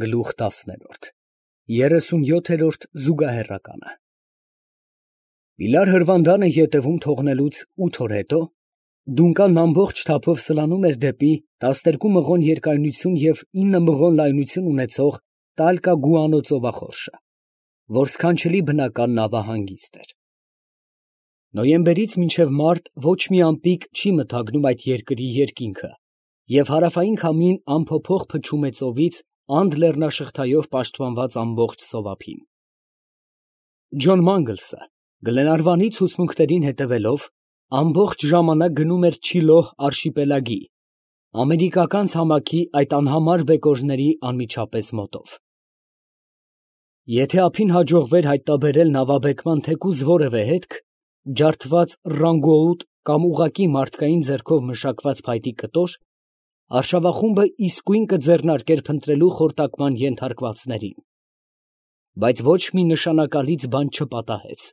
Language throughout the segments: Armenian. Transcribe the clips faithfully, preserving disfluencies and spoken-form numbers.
Գլուխ տասներորդ երեսունյոթերորդ զուգահեռականը Բիլար հրվանդանը ետևում թողնելուց ութ օր հետո Դունկանն ամբողջ թափով սլանում էր դեպի տասներկու մղոն երկայնություն և ինը մղոն լայնություն ունեցող Տալկա֊Գուանո ծովախորշը, որ սքանչելի բնական նավահանգիստ էր։ Նոյեմբերից մինչև մարտ ոչ մի ամպիկ չի մթագնում այդ երկրի երկինքը, և հարավային քամին անփոփոխ փչում է ծովից անդ լեռնաշղթայով պաշտպանված ամբողջ ծովափին։ Ջոն Մանգլսը, Գլենարվանի ցուցմունքներին հետևելով, ամբողջ ժամանակ գնում էր Չիլոհ արշիպելագի, ամերիկական ցամաքի այդ անհամար բեկորների անմիջապես մոտով։ Եթե ափին հաջողվեր հայտնաբերել նավաբեկման թեկուզ որևէ հետք, ջարդված ռանգոուտ կամ ուղղակի մարդկային ձեռքով մշակված փայտի կտոր, արշավախումբը իսկույն կձեռնարկեր փնտրելու խորտակման ենթարկվածներին։ Բայց ոչ մի նշանակալից բան չպատահեց,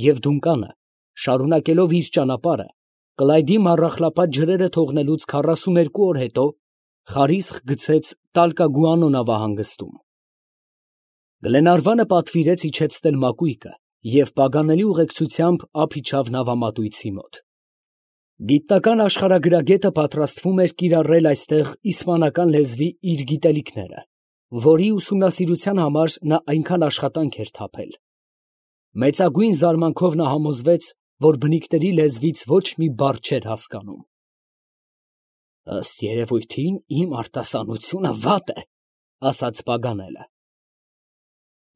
և Դունկանը, շարունակելով իր ճանապարհը, Կլայդի մառախլապատ ջրերը թողնելուց քառասուներկու օր հետո, խարիսխ գցեց Տալկա֊Գուանո նավահանգստում։ Գլենարվանը պատվիրեց իջեցնել մակույկը և պագանելի ուղեկցությամբ ափ իջավ նավամատույցի մոտ։ Գիտնական աշխարհագրագետը պատրաստվում էր կիրառել այստեղ իսպանական լեզվի իր գիտելիքները, որի ուսումնասիրության համար նա այնքան աշխատանք էր թափել։ Մեծագույն զարմանքով նա համոզվեց, որ բնիկների լեզվից ոչ մի բառ չէր հասկանում։ «Ըստ երևույթին, իմ արտասանությունը վատ է», ֊ ասաց Պագանելը։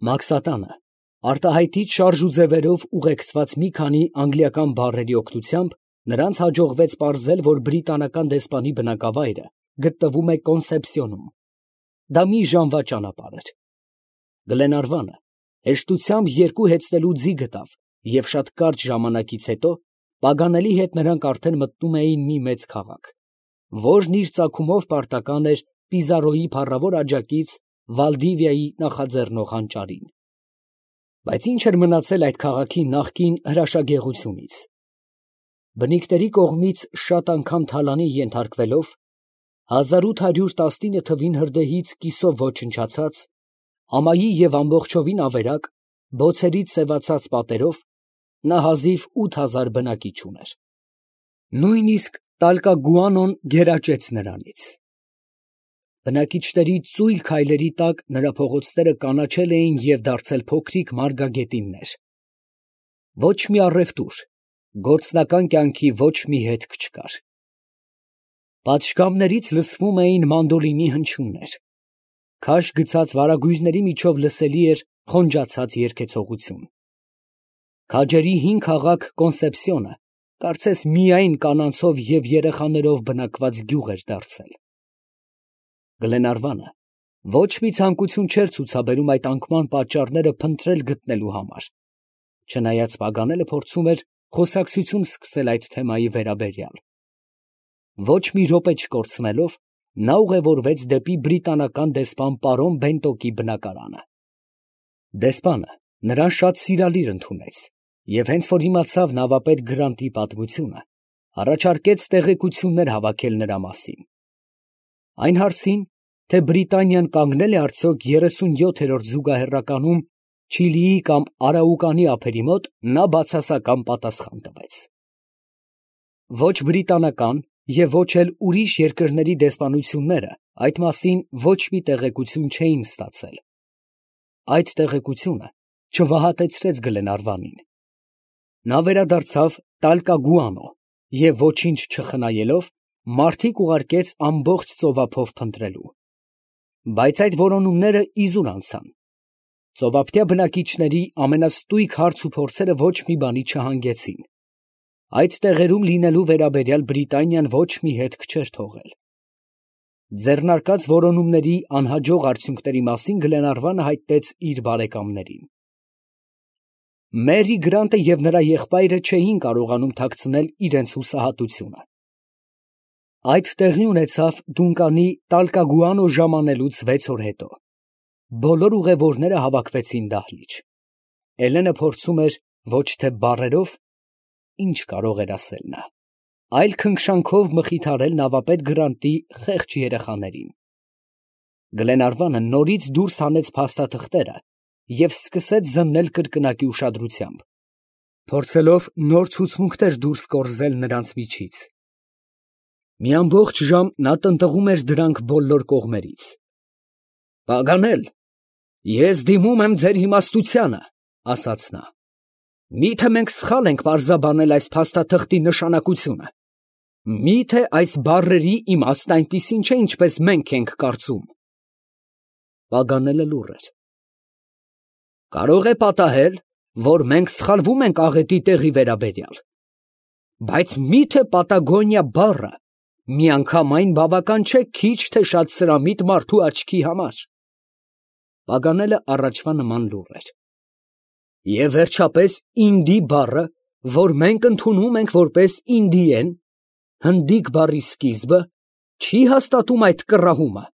Մաքսատանը արտահայտիչ շարժուձևերով ուղեկցված մի քանի անգլիական բառերի օգնությամբ նրանց հաջողվեց պարզել, որ բրիտանական դեսպանի բնակավայրը գտնվում է Կոնսեպսիոնում։ Դա մի ժամվա ճանապարհ էր։ Գլենարվանը հեշտությամբ երկու հեծնելու ձի գտավ, և շատ կարճ ժամանակից հետո Պագանելի հետ նրանք արդեն մտնում էին մի մեծ քաղաք, որն իր ծագումով պարտական էր Պիզարոյի փառավոր աջակից Վալդիվիայի նախաձեռնող հանճարին։ Բայց ի՞նչ էր մնացել այդ քաղաքի նախկին հրաշագեղությունից։ Բնիկների կողմից շատ անգամ թալանի ենթարկվելով, հազար ութ հարյուր տասնինը թվին հրդեհից կիսով ոչնչացած, ամայի և ամբողջովին ավերակ, բոցերից սևացած պատերով, նա հազիվ ութ հազար բնակիչ ուներ։ Նույնիսկ Տալկա֊Գուանոն գերաճեց նրանից։ Բնակիչների ծույլ քայլերի տակ նրա փողոցները կանաչել էին և դարձել փոքրիկ մարգագետիններ։ Ոչ մի առևտուր, գործնական կյանքի ոչ մի հետք չկար։ Պատշգամբներից լսվում էին մանդոլինի հնչյուններ, քաշ գցած վարագույրների միջով լսելի էր խոնջացած երգեցողություն։ Քաջերի հին քաղաք Կոնսեպսիոնը կարծես միայն կանանցով և երեխաներով բնակված գյուղ էր դարձել։ Գլենարվանը ոչ մի ցանկություն չէր ցուցաբերում այդ անկման պատճառները փնտրել գտնելու համար, չնայած Պագանելը փորձում էր խոսակցություն սկսել այդ թեմայի վերաբերյալ։ Ոչ մի րոպե չկորցնելով, նա ուղևորվեց դեպի բրիտանական դեսպան պարոն Բենտոկի բնակարանը։ Դեսպանը նրան շատ սիրալիր ընդունեց և հենց որ իմացավ նավապետ Գրանտի պատմությունը, առաջարկեց տեղեկություններ հավաքել նրա մասին։ Այն հարցին, թե Բրիտանիան կանգնե՞լ է արդյոք երեսունյոթերորդ զուգահեռականում Չիլիի կամ Արաուկանի ափերի մոտ, նա բացասական պատասխան տվեց։ Ոչ բրիտանական և ոչ էլ ուրիշ երկրների դեսպանությունները այդ մասին ոչ մի տեղեկություն չէին ստացել։ Այդ տեղեկությունը չվհատեցրեց Գլենարվանին։ Նա վերադարձավ Տալկա֊Գուանո և ոչինչ չխնայելով, մարդիկ ուղարկեց ամբողջ ծովափով փնտրելու։ Բայց այդ որոնումները իզուր անցան։ Ծովափնյա բնակիչների ամենաստույգ հարց ու փորձերը ոչ մի բանի չհանգեցին։ Այդ տեղերում լինելու վերաբերյալ Բրիտանիան ոչ մի հետք չէր թողել։ Ձեռնարկած որոնումների անհաջող արդյունքների մասին Գլենարվանը հայտնեց իր բարեկամներին։ Մերի Գրանտը և նրա եղբայրը չէին կարողանում թաքցնել իրենց հուսահատությունը։ Այդ տեղի ունեցավ Դունկանի Տալկա֊Գուանո ժամանելուց վեց օր հետո։ Բոլոր ուղևորները հավաքվեցին դահլիճ։ Էլենը փորձում էր ոչ թե բառերով (ինչ կարող էր ասել նա), այլ քնքշանքով մխիթարել նավապետ Գրանտի խեղճ երեխաներին։ Գլենարվանը նորից դուրս հանեց փաստաթղթերը և սկսեց զննել կրկնակի ուշադրությամբ, փորձելով նոր ցուցմունքներ դուրս կորզել նրանց միջից։ Մի ամբողջ ժամ նա տնտղում էր դրանք բոլոր կողմերից։ «Պագանել, ես դիմում եմ ձեր իմաստությանը, ֊ ասաց նա, ֊ մի՞թե մենք սխալ ենք պարզաբանել այս փաստաթղթի նշանակությունը, մի՞թե այս բառերի իմաստն այնպիսին չէ, ինչպես մենք ենք կարծում»։ Պագանելը լուռ էր։ «Կարող է պատահել, որ մենք սխալվում ենք աղետի տեղի վերաբերյալ, բայց մի՞թե Պատագոնիա բառը միանգամայն բավական չէ քիչ թե շատ սրամիտ մարդու աչքի համար»։ Պագանելը առաջվա նման լուռ էր։ «Եվ վերջապես ինդի բառը, որ մենք ընդունում ենք որպես ինդիեն, հնդիկ բառի սկիզբը, չի հաստատում այդ կռահումը»։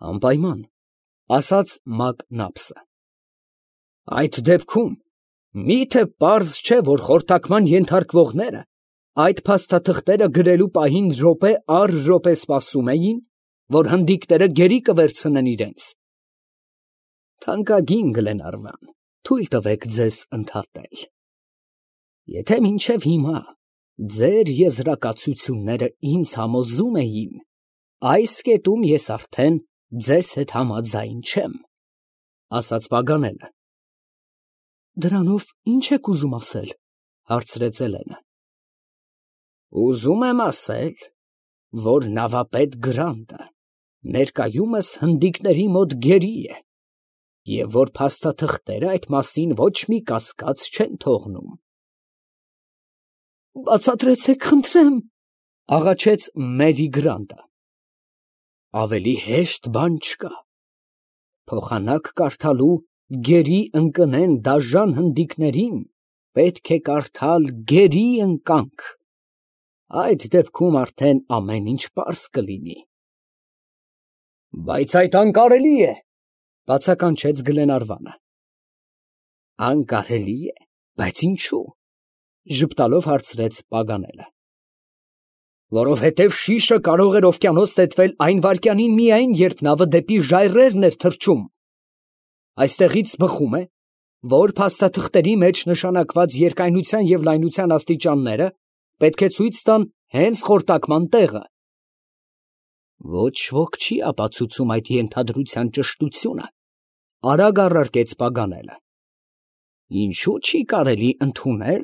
«Անպայման, ֊ ասաց Մակնապսը, ֊ այդ դեպքում մի՞թե պարզ չէ, որ խորտակման ենթարկվողները այդ փաստաթղթերը գրելու պահին րոպե առ րոպե սպասում էին, որ հնդիկները գերի կվերցնեն իրենց»։ «Թանկագին Գլենարվան, թույլ տվեք ձեզ ընդհատել. եթե մինչև հիմա ձեր եզրակացությունները ինձ համոզում էին, այս կետում ես արդեն ձեզ հետ համաձայն չեմ», ֊ ասաց Պագանելը։ «Դրանով ի՞նչ եք ուզում ասել, ֊ հարցրեց Էլենը։ ֊ Ուզում եմ ասել, որ նավապետ Գրանտը ներկայումս հնդիկների մոտ գերի է, և որ փաստաթղթերը այդ մասին ոչ մի կասկած չեն թողնում»։ «Բացատրեցեք, խնդրեմ, ֊ աղաչեց Մերի Գրանտը։ ֊ Ավելի հեշտ բան չկա։ Փոխանակ կարդալու գերի ընկնեն դաժան հնդիկներին պետք է կարդալ գերի ընկանք, այդ դեպքում արդեն ամեն ինչ պարզ կլինի»։ «Բայց այդ անկարելի է, ֊ բացականչեց Գլենարվանը։ ֊ Անկարելի է, բայց ինչո՞ւ, ֊ ժպտալով հարցրեց Պագանելը։ ֊ Որովհետև շիշը կարող էր օվկիանոս նետվել այն վայրկյանին միայն, երբ նավը դեպի ժայռերն էր թռչում։ Այստեղից բխում է, որ փաստաթղթերի մեջ նշանակված երկայնության և լայնության աստիճանները պետք է ցույց տան հենց խորտակման տեղը։ «Ոչ ոք չի ապացուցում այդ ենթադրության ճշտությունը, ֊ արագ առարկեց Պագանելը։ ֊ Ինչո՞ւ չի կարելի ընդունել,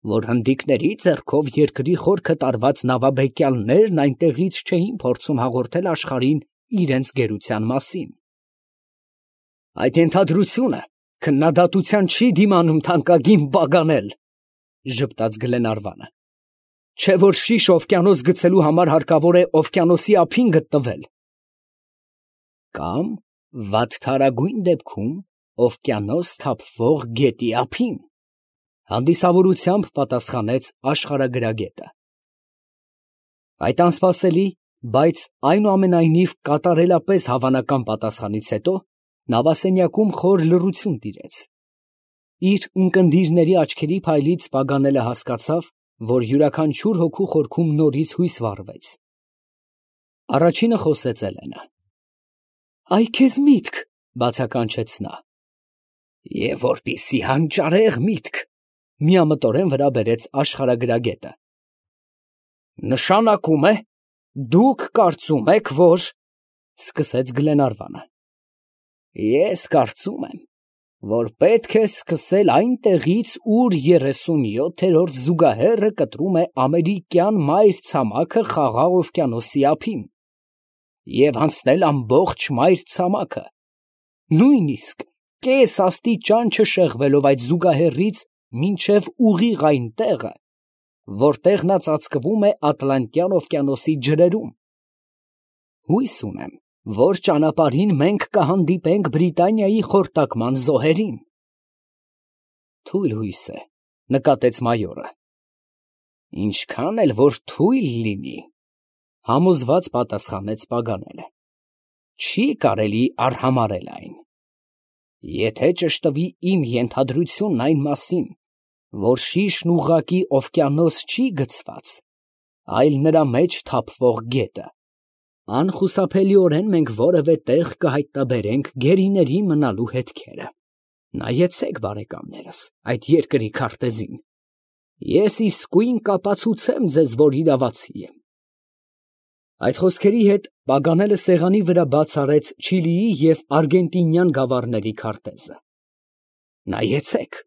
որ հնդիկների ձեռքով երկրի խորքը տարված նավաբեկյալներն այնտեղից չէին փորձում հաղորդել աշխարհին իրենց գերության մասին»։ «Այդ ենթադրությունը քննադատության չի դիմանում, թանկագին Պագանել, ֊ ժպտաց Գլենարվանը, ֊ չէ՞ որ շիշ օվկիանոս գցելու համար հարկավոր է օվկիանոսի ափին գտնվել»։ «Կամ վատթարագույն դեպքում օվկիանոս թափվող գետի ափին, ֊ հանդիսավորությամբ պատասխանեց աշխարհագրագետը։ Այդ անսպասելի, բայց այնուամենայնիվ կատարելապես հավանական պատասխանից հետո նավասենյակում խոր լռություն տիրեց։ Իր ունկնդիրների աչքերի փայլից Պագանելը հասկացավ, որ յուրաքանչյուր հոգու խորքում նորից հույս վառվեց։ Առաջինը խոսեց Էլենը։ «Այ քեզ միտք, ֊ բացականչեց նա։ ֊ Եվ որպիսի հանճարեղ միտք, ֊ միամտորեն վրա բերեց աշխարհագրագետը։ ֊ Նշանակում է, դուք կարծում եք, որ, ֊ սկսեց Գլենարվանը։ ֊ Ես կարծում եմ, որ պետք է սկսել այնտեղից, ուր երեսունյոթերորդ զուգահեռը կտրում է ամերիկյան մայրցամաքը Խաղաղ օվկիանոսի ափին, և անցնել ամբողջ մայրցամաքը, նույնիսկ կես աստիճան չշեղվելով այդ զուգահեռից մինչև ուղիղ այն տեղը, որտեղ նա ծածկվում է Ատլանտյան օվկիանոսի ջրերում։ Հույս ունեմ, որ ճանապարհին մենք կհանդիպենք Բրիտանիայի խորտակման զոհերին։ Թույլ հույս է, ֊ նկատեց մայորը։ Ինչքան էլ որ թույլ լինի, ֊ համոզված պատասխանեց Պագանելը, ֊ չի կարելի արհամարհել այն։ Եթե ճշտվի իմ ենթադրությունն այն մասին, որ շիշն ուղղակի օվկիանոս չի գցված, այլ նրա մեջ թափվող գետը, Անխուսափելիորեն մենք որևէ տեղ կհայտնաբերենք գերիների մնալու հետքերը։ Նայեցեք, բարեկամներս, այդ երկրի քարտեզին։ Ես իսկույն կապացուցեմ ձեզ, որ իրավացի եմ։ Այդ խոսքերի հետ Պագանելը սեղանի վրա բաց արեց Չիլիի և Արգենտինյան գավառների քարտեզը։ Նայեցեք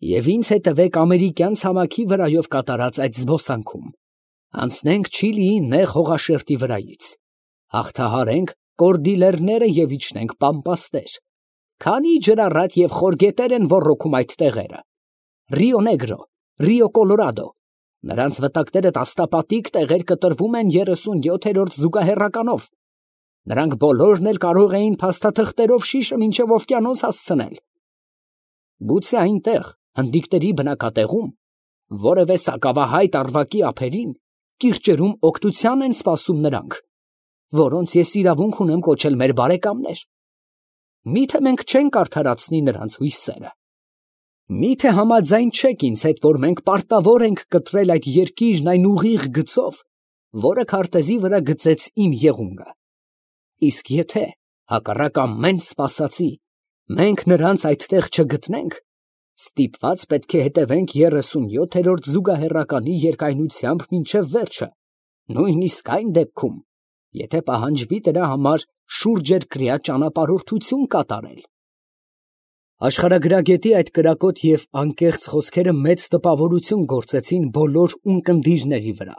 և ինձ հետևեք ամերիկյան ցամաքի վրայով կատարած այդ զբոսանքում, անցնենք Չիլիի նեղ հողաշերտի վրայից, հաղթահարենք Կորդիլերները և իջնենք Պամպասներ, քանի ջրառատ և խոր գետեր են ոռոգում այդ տեղերը, Ռիո Նեգրո, Ռիո Կոլորադո, նրանց վտակները տասնապատիկ տեղեր կտրվում են երեսունյոթերորդ զուգահեռականով, նրանք բոլորն էլ կարող էին փաստաթղթերով շիշը մինչև օվկիանոս հասցնել։ Գուցե այնտեղ, հնդիկների բնակատեղում, որևէ սակավահայտ առվակի ափերին, կիրճերում օգնության են սպասում նրանք, որոնց ես իրավունք ունեմ կոչել մեր բարեկամներ։ Մի՞թե մենք չենք արդարացնի նրանց հույսերը։ Մի՞թե համաձայն չեք ինձ հետ, որ մենք պարտավոր ենք կտրել այդ երկիրն այն ուղիղ գծով, որը քարտեզի վրա գծեց իմ եղունգը։ Իսկ եթե, հակառակ ամեն սպասածի, մենք նրանց այդտեղ չգտնենք, ստիպված պետք է հետևենք երեսունյոթերորդ զուգահեռականի երկայնությամբ մինչև վերջը, նույնիսկ այն դեպքում, եթե պահանջվի դրա համար շուրջերկրյա ճանապարհորդություն կատարել։ Աշխարհագրագետի այդ կրակոտ և անկեղծ խոսքերը մեծ տպավորություն գործեցին բոլոր ունկնդիրների վրա։